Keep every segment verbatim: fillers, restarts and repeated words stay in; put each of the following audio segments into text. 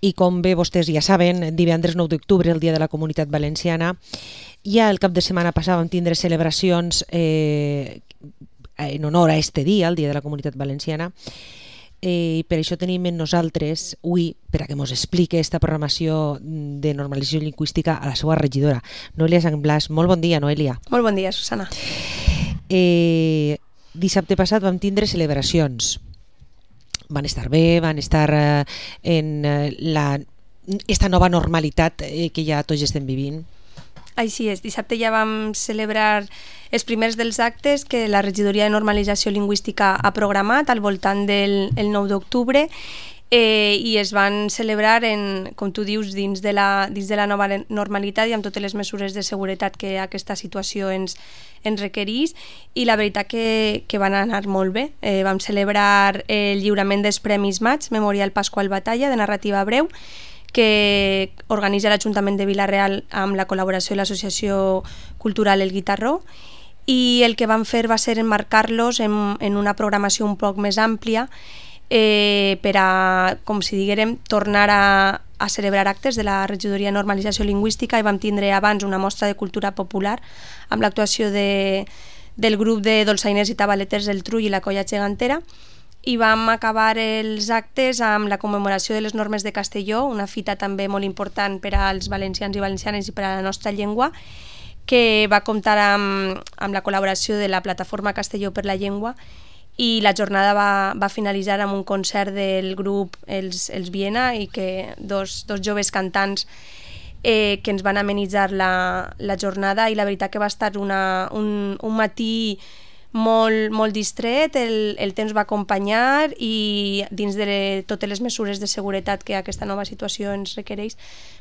i com bé vostès ja saben, divendres nou d'octubre, el Dia de la Comunitat Valenciana, ja el cap de setmana passat vam tindre celebracions eh, en honor a este dia, el Dia de la Comunitat Valenciana, i eh, per això tenim en nosaltres avui, per a que ens expliqui aquesta programació de normalització lingüística, a la seva regidora, Noelia Sangblàs. Molt bon dia, Noelia. Molt bon dia, Susana. Eh, dissabte passat vam tindre celebracions. Van estar bé, van estar eh, en eh, la, esta nova normalitat eh, que ja tots estem vivint. Així és, dissabte ja vam celebrar els primers dels actes que la Regidoria de Normalització Lingüística ha programat al voltant del el nou d'octubre eh, i es van celebrar, en, com tu dius, dins de, la, dins de la nova normalitat i amb totes les mesures de seguretat que aquesta situació ens, ens requereix, i la veritat que, que van anar molt bé. Eh, vam celebrar el lliurament dels Premis Maig, Memorial Pasqual Batalla, de narrativa breu, que organitza l'Ajuntament de Vila-real amb la col·laboració de l'Associació Cultural El Guitarró, i el que vam fer va ser emmarcar-los en, en una programació un poc més àmplia eh, per a, com si diguérem, tornar a, a celebrar actes de la Regidoria de Normalització Lingüística, i vam tindre abans una mostra de cultura popular amb l'actuació de, del grup de dolçainers i tabaleters del Trull i la Colla Gegantera, i vam acabar els actes amb la commemoració de les normes de Castelló, una fita també molt important per als valencians i valencianes i per a la nostra llengua, que va comptar amb, amb la col·laboració de la plataforma Castelló per la Llengua, i la jornada va, va finalitzar amb un concert del grup Els, els Viena, i que dos, dos joves cantants eh, que ens van amenitzar la, la jornada, i la veritat que va estar una, un, un matí molt, molt distret, el, el temps va acompanyar, i dins de le, totes les mesures de seguretat que aquesta nova situació ens requereix,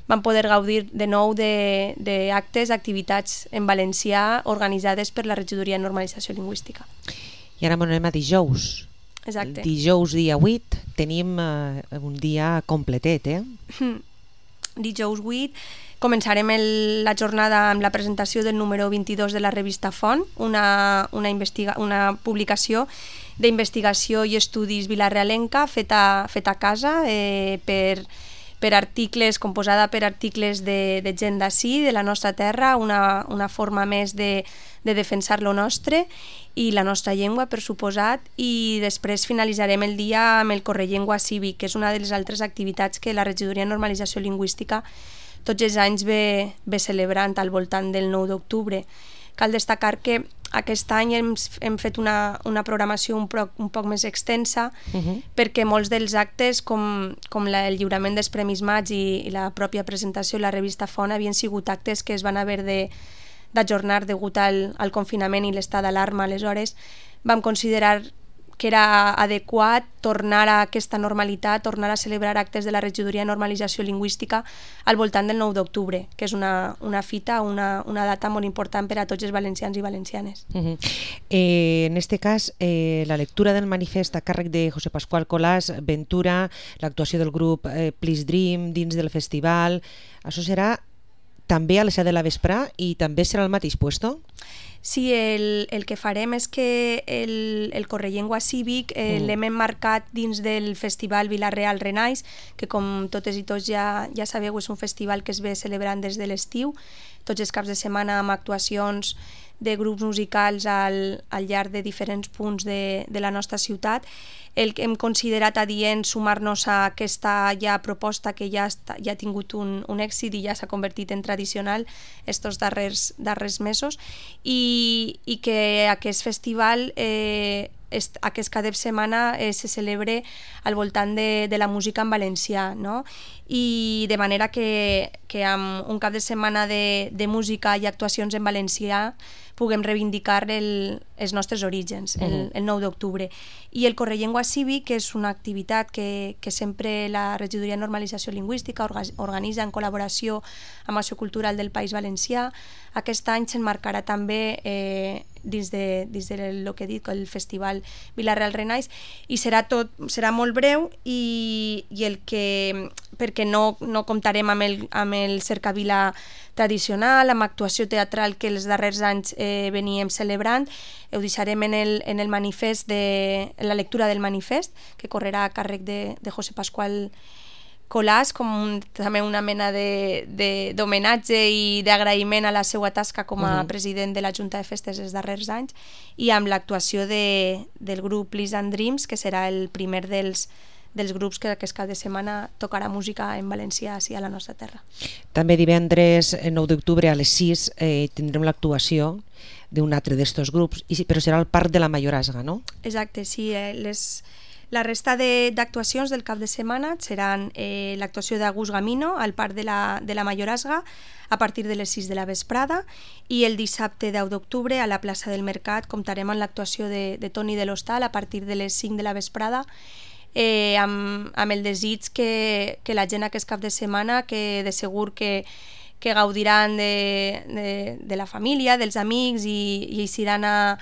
vam poder gaudir de nou d'actes, activitats en valencià organitzades per la Regidoria de Normalització Lingüística. I ara anem a dijous. Exacte. El dijous dia vuit tenim eh, un dia completet, eh? Dijous vuit començarem el, la jornada amb la presentació del número vint-i-dos de la revista Font, una, una, investiga, una publicació d'investigació i estudis vilarealenca feta, feta a casa eh, per, per articles, composada per articles de, de gent d'ací, de la nostra terra, una, una forma més de, de defensar lo nostre i la nostra llengua, per suposat, i després finalitzarem el dia amb el Correllengua Cívic, que és una de les altres activitats que la Regidoria de Normalització Lingüística tots els anys ve, ve celebrant al voltant del nou d'octubre. Cal destacar que aquest any hem, hem fet una, una programació un, pro, un poc més extensa, uh-huh. perquè molts dels actes, com, com la, el lliurament dels Premis Maig i, i la pròpia presentació de la revista Font, havien sigut actes que es van haver de d'ajornar degut al, al confinament i l'estat d'alarma. Aleshores vam considerar que era adequat tornar a aquesta normalitat, tornar a celebrar actes de la Regidoria de Normalització Lingüística al voltant del nou d'octubre, que és una, una fita, una, una data molt important per a tots els valencians i valencianes. Uh-huh. eh, en este cas, eh, la lectura del manifest a càrrec de José Pascual Colàs, Ventura, l'actuació del grup eh, Please Dream dins del festival, això serà també a les set de la vesprà i també serà al mateix puesto? Sí, el, el que farem és que el, el Correllengua Cívic eh, mm. l'hem emmarcat dins del Festival Vila-real Renaix, que com totes i tots ja, ja sabeu és un festival que es ve celebrant des de l'estiu, tots els caps de setmana amb actuacions de grups musicals al, al llarg de diferents punts de, de la nostra ciutat. El que hem considerat adient sumar-nos a aquesta ja proposta que ja, està, ja ha tingut un, un èxit i ja s'ha convertit en tradicional estos darrers, darrers mesos, i, i que aquest festival eh, est, aquest cap de setmana eh, se celebre al voltant de, de la música en valencià, no? I de manera que, que amb un cap de setmana de, de música i actuacions en valencià puguem reivindicar el, els nostres orígens, el, uh-huh. el nou d'octubre. I el Correllengua Cívic, que és una activitat que, que sempre la Regidoria de Normalització Lingüística organitza en col·laboració amb l'Associació Cultural del País Valencià, aquest any s'emmarcarà també eh, dins de, dins de lo que he dit, el Festival Vila-real Renaix, i serà tot, serà molt breu, i, i el que, perquè no, no comptarem amb el, amb el cercavila tradicional, amb actuació teatral que els darrers anys eh, veníem celebrant. Ho deixarem en el, en el manifest, de, en la lectura del manifest, que correrà a càrrec de, de José Pascual collage com un, també una mena d'homenatge i d'agraïment a la seva tasca com a uh -huh. president de la Junta de Festes els darrers anys, i amb l'actuació de, del grup Liz and Dreams, que serà el primer dels dels grups que aquest cap de setmana tocarà música en valencià així a la nostra terra. També divendres nou d'octubre a les sis eh, tindrem l'actuació d'un altre d'estos grups, i, però serà al Parc de la Mayorazga, no? Exacte, sí. Eh, les, la resta d'actuacions de, del cap de setmana seran eh, l'actuació d'Agus Gamino al Parc de la, de la Mayorazga a partir de les sis de la vesprada, i el dissabte deu d'octubre a la plaça del Mercat comptarem amb l'actuació de, de Toni de l'Hostal a partir de les cinc de la vesprada, Eh, amb, amb el desig que, que la gent aquest cap de setmana, que de segur que, que gaudiran de, de, de la família, dels amics, i, i eixiran a,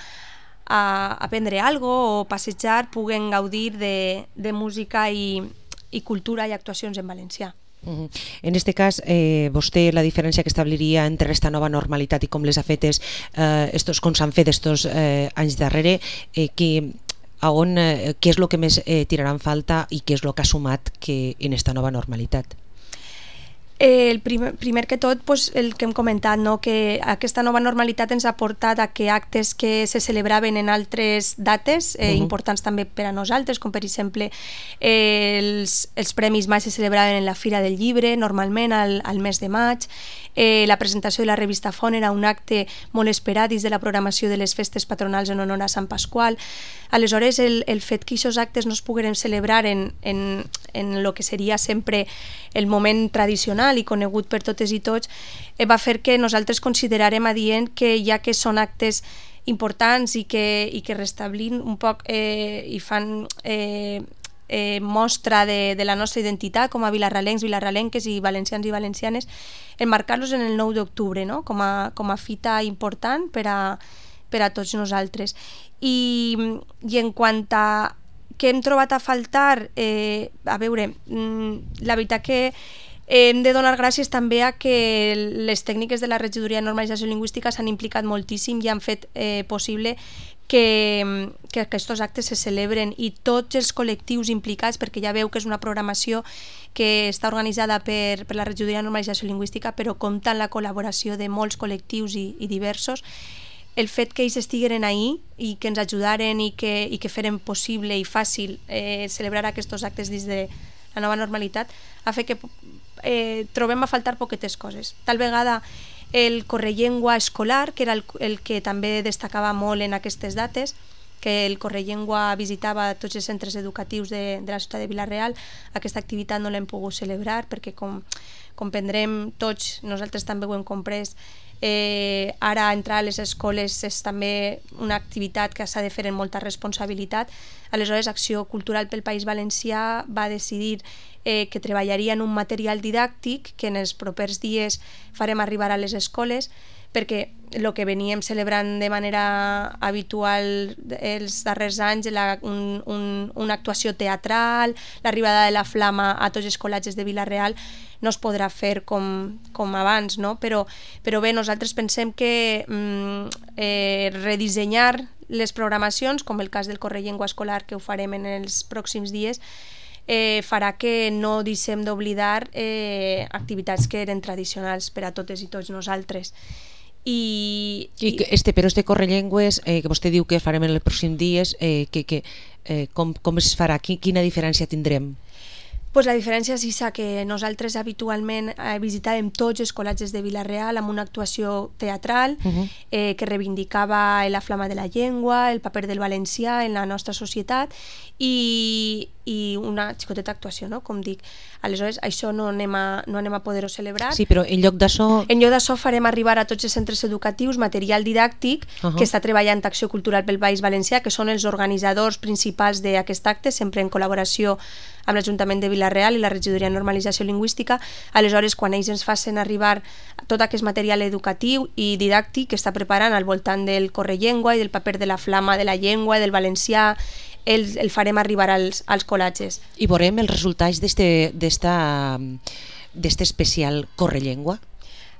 a, a prendre algo o passejar, puguen gaudir de, de música i, i cultura i actuacions en valencià. Uh-huh. En aquest cas, eh, vostè la diferència que establiria entre aquesta nova normalitat i com les ha fetes, eh, estos, com s'han fet estos eh, anys darrere, eh, que a on, eh, què és el que més eh, tirarà en falta i què és el que ha sumat que en esta nova normalitat? Eh, el primer, primer que tot, pues, el que hem comentat, no? Que aquesta nova normalitat ens ha portat a que actes que se celebraven en altres dates eh, uh-huh. importants també per a nosaltres, com per exemple eh, els, els Premis Maig se celebraven en la Fira del Llibre, normalment al, al mes de maig. Eh, la presentació de la revista Font era un acte molt esperat dins de la programació de les festes patronals en honor a Sant Pasqual. Aleshores, el, el fet que aquests actes no es pogueren celebrar en, en, en lo que seria sempre el moment tradicional i conegut per totes i tots, eh, va fer que nosaltres considerarem adient que, ja que són actes importants i que, i que restablin un poc eh, i fan eh, eh, mostra de, de la nostra identitat com a vilarralencs, vilarralenques i valencians i valencianes, enmarcar-los en el nou d'octubre, no? com, a, com a fita important per a, per a tots nosaltres. I, i en quant a què hem trobat a faltar, eh, a veure, la veritat que hem de donar gràcies també a que les tècniques de la Regidoria de Normalització Lingüística s'han implicat moltíssim i han fet eh, possible que, que aquests actes se celebren, i tots els col·lectius implicats, perquè ja veu que és una programació que està organitzada per, per la Regidoria de Normalització Lingüística, però compta amb la col·laboració de molts col·lectius i, i diversos. El fet que ells estigueren ahí i que ens ajudaren i que, i que feren possible i fàcil eh, celebrar aquests actes dins de la nova normalitat ha fet que eh, trobem a faltar poquetes coses. Tal vegada el correllengua escolar, que era el, el que també destacava molt en aquestes dates, que el correllengua visitava tots els centres educatius de, de la ciutat de Vila-real. Aquesta activitat no l'hem pogut celebrar perquè, com comprendrem tots, nosaltres també ho hem comprès, Eh, ara entrar a les escoles és també una activitat que s'ha de fer amb molta responsabilitat. Aleshores, Acció Cultural pel País Valencià va decidir eh, que treballaria en un material didàctic que en els propers dies farem arribar a les escoles, perquè el que veníem celebrant de manera habitual els darrers anys, la, un, un, una actuació teatral, l'arribada de la flama a tots els col·legis de Vila-real, no es podrà fer com, com abans, no? Però, però bé, nosaltres pensem que mm, eh, redissenyar les programacions, com el cas del Correllengua escolar, que ho farem en els pròxims dies, eh, farà que no deixem d'oblidar eh, activitats que eren tradicionals per a totes i tots nosaltres. I, I este, però este correllengües eh, que vostè diu que farem en els pròxims dies, eh, que, que, eh, com, com es farà? Quina diferència tindrem? Pues la diferència és esa, que nosaltres habitualment eh, visitàvem tots els col·legis de Vila-real amb una actuació teatral uh-huh. eh, que reivindicava la flama de la llengua, el paper del valencià en la nostra societat i, i una xicoteta actuació, no? Com dic. Aleshores, això no anem a, no anem a poder-ho celebrar. Sí, però en lloc d'això... En lloc d'això farem arribar a tots els centres educatius material didàctic uh-huh. que està treballant Acció Cultural pel País Valencià, que són els organitzadors principals d'aquest acte, sempre en col·laboració amb l'Ajuntament de Vila-real i la Regidoria de Normalització Lingüística. Aleshores, quan ells ens facin arribar tot aquest material educatiu i didàctic que està preparant al voltant del correllengua i del paper de la flama de la llengua i del valencià, el, el farem arribar als, als col·legis. I veurem els resultats d'este especial correllengua?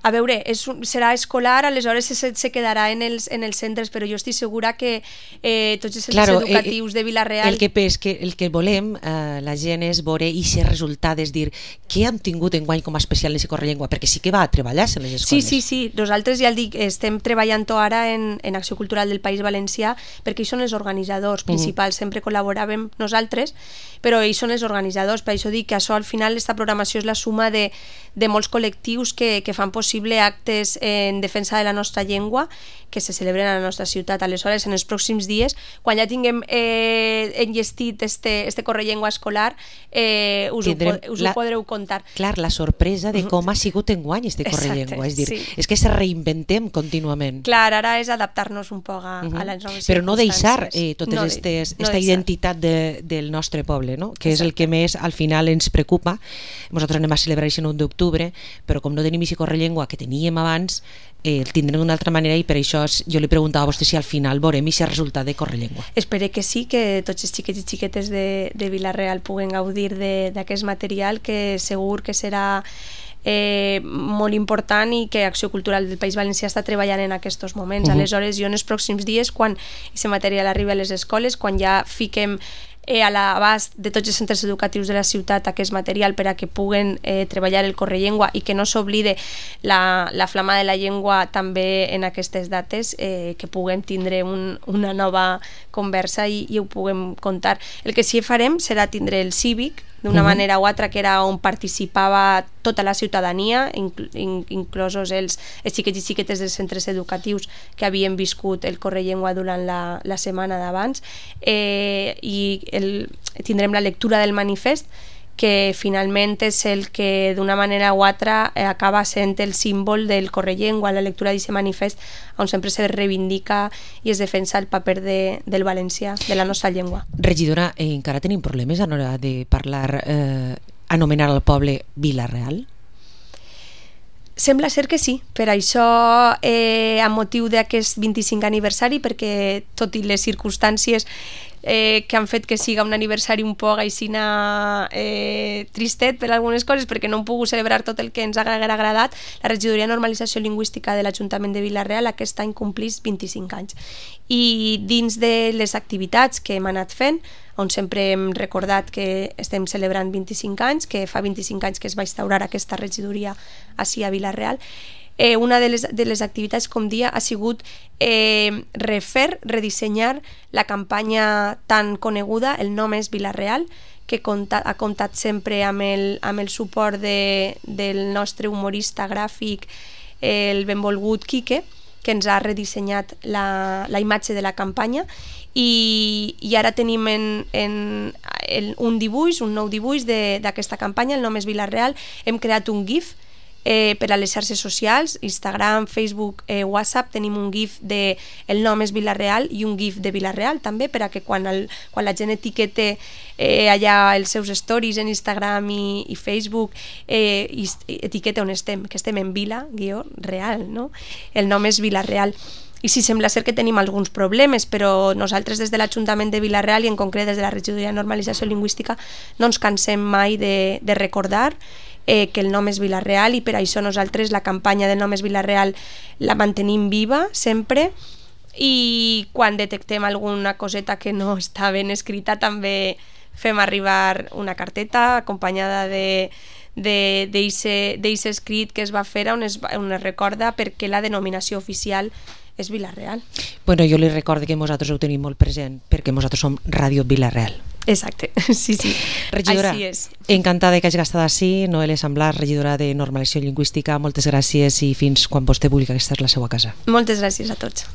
A veure, és un, serà escolar, aleshores se, se quedarà en els, en els centres, però jo estic segura que eh, tots els centres claro, educatius eh, de Vila-real... El que, és que, el que volem, eh, la gent, és veure aquests resultats, és dir, què hem tingut enguany com a especial en Correllengua, perquè sí que va a treballar-se en les escoles. Sí, sí, sí. Nosaltres, ja el dic, estem treballant ara en, en Acció Cultural del País Valencià, perquè ells són els organitzadors principals, mm. sempre col·laboràvem nosaltres, però ells són els organitzadors, per això dic que això al final, aquesta programació és la suma de, de molts col·lectius que, que fan possible actes en defensa de la nostra llengua que se celebren a la nostra ciutat. Aleshores, en els pròxims dies, quan ja tinguem eh, enllestit este, este Correllengua escolar, eh, us, ho, us la, ho podreu contar. Clar, la sorpresa de com ha sigut enguany este Correllengua, és dir, sí. és que se reinventem contínuament. Clar, ara és adaptar-nos un poc a, uh -huh. a les noves però no deixar eh, tota no, aquesta no identitat de, del nostre poble, no? Que Exacte. És el que més al final ens preocupa. Nosaltres anem a celebrar el nou d'octubre, però com no tenim aquest Correllengua que teníem abans, eh, el tindrem d'una altra manera, i per això jo li preguntava a vostè si al final veurem aquest resultat de Correllengua. Espero que sí, que tots els xiquets i xiquetes de, de Vila-real puguen gaudir d'aquest material, que segur que serà eh, molt important i que Acció Cultural del País Valencià està treballant en aquests moments. Uh -huh. Aleshores, jo en els pròxims dies, quan aquest material arribi a les escoles, quan ja fiquem Eh, a l'abast de tots els centres educatius de la ciutat aquest material per a que puguen eh, treballar el Correllengua i que no s'oblide la, la flama de la llengua també en aquestes dates, eh, que puguem tindre un, una nova conversa i, i ho puguem contar. El que sí farem serà tindre el cívic d'una uh-huh. manera o altra, que era on participava tota la ciutadania, incl in inclosos els, els xiquets i xiquetes dels centres educatius que havien viscut el Correllengua durant la, la setmana d'abans, eh, i el, tindrem la lectura del manifest, que finalment és el que d'una manera o altra eh, acaba sent el símbol del Correllengua, la lectura d'aquest manifest on sempre se reivindica i es defensa el paper de, del valencià, de la nostra llengua. Regidora, eh, encara tenim problemes a l'hora de parlar, eh, anomenar al poble Vila-real? Sembla ser que sí, per això eh, a motiu d'aquest vint-i-cinquè aniversari, perquè tot i les circumstàncies eh, que han fet que siga un aniversari un poc aixina eh, tristet per algunes coses, perquè no hem pogut celebrar tot el que ens haguera agradat, la Regidoria de Normalització Lingüística de l'Ajuntament de Vila-real aquest any complís vint-i-cinc anys. I dins de les activitats que hem anat fent, on sempre hem recordat que estem celebrant vint-i-cinc anys, que fa vint-i-cinc anys que es va instaurar aquesta regidoria ací a Vila-real, eh, una de les, de les activitats, com dia, ha sigut eh, refer, redissenyar la campanya tan coneguda, El nom és Vila-real, que compta, ha comptat sempre amb el, amb el suport de, del nostre humorista gràfic, el benvolgut Quique, que ens ha redissenyat la, la imatge de la campanya, i, i ara tenim en, en, en un dibuix, un nou dibuix d'aquesta campanya, El nom és Vila-real. Hem creat un GIF eh, per a les xarxes socials, Instagram, Facebook, eh, WhatsApp. Tenim un GIF de El nom és Vila-real i un GIF de Vila-real també, per a que quan, el, quan la gent etiquete eh, allà els seus stories en Instagram i, i Facebook, eh, i etiqueta on estem, que estem en Vila, guió, real, no? El nom és Vila-real. I sí, sembla ser que tenim alguns problemes, però nosaltres des de l'Ajuntament de Vila-real i en concret des de la Regidoria de Normalització Lingüística no ens cansem mai de, de recordar eh, que el nom és Vila-real, i per això nosaltres la campanya del nom és Vila-real la mantenim viva sempre, i quan detectem alguna coseta que no està ben escrita també fem arribar una carteta acompanyada de d'aquest escrit que es va fer on es, on es recorda perquè la denominació oficial és Vila-real. Bueno, jo li recordo que nosaltres ho tenim molt present perquè nosaltres som Ràdio Vila-real. Exacte, sí, sí. Regidora, així és. Encantada que hagi estat així. Noelia Samblas, regidora de Normalització Lingüística, moltes gràcies i fins quan vostè vulgui, que aquesta és la seva casa. Moltes gràcies a tots.